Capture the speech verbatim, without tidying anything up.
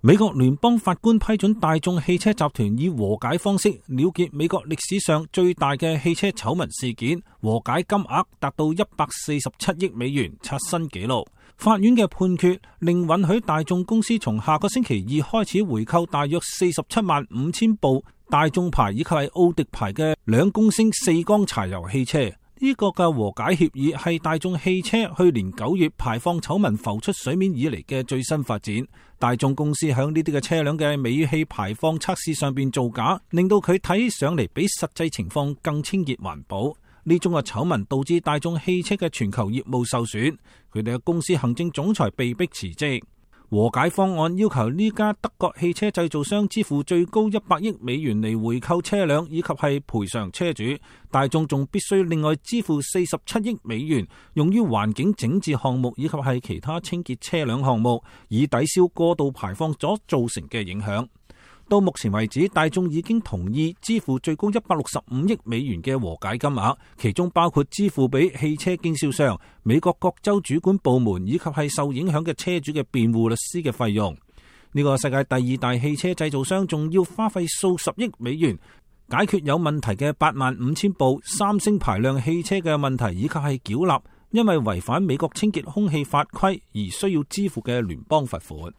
美國聯邦法官批准大眾汽車集團以和解方式了結美國歷史上最大嘅汽車醜聞事件，和解金額達到一百四十七億美元，刷新紀錄。法院嘅判決令允許大眾公司從下個星期二開始回購大約四十七萬五千部大眾牌以及係奧迪牌嘅兩公升四缸柴油汽車。呢個嘅和解協議係大眾汽車去年九月排放醜聞浮出水面以嚟嘅最新發展。大眾公司響呢啲嘅車輛嘅尾氣排放測試上邊造假，令到佢睇起上嚟比實際情況更清潔環保。呢種嘅醜聞導致大眾汽車嘅全球業務受損，佢哋嘅公司行政總裁被迫辭職。和解方案要求呢家德國汽車製造商支付最高一百億美元嚟回購車輛以及係賠償車主，大眾仲必須另外支付四十七億美元用於環境整治項目以及係其他清潔車輛項目，以抵消過度排放所造成嘅影響。到目前為止，大眾已經同意支付最高一百六十五億美元嘅和解金額，其中包括支付俾汽車經銷商、美國各州主管部門以及係受影響嘅車主嘅辯護律師嘅費用。呢個世界第二大汽車製造商仲要花費數十億美元解決有問題嘅八萬五千部三星排量汽車嘅問題，以及係繳納因為違反美國清潔空氣法規而需要支付嘅聯邦罰款。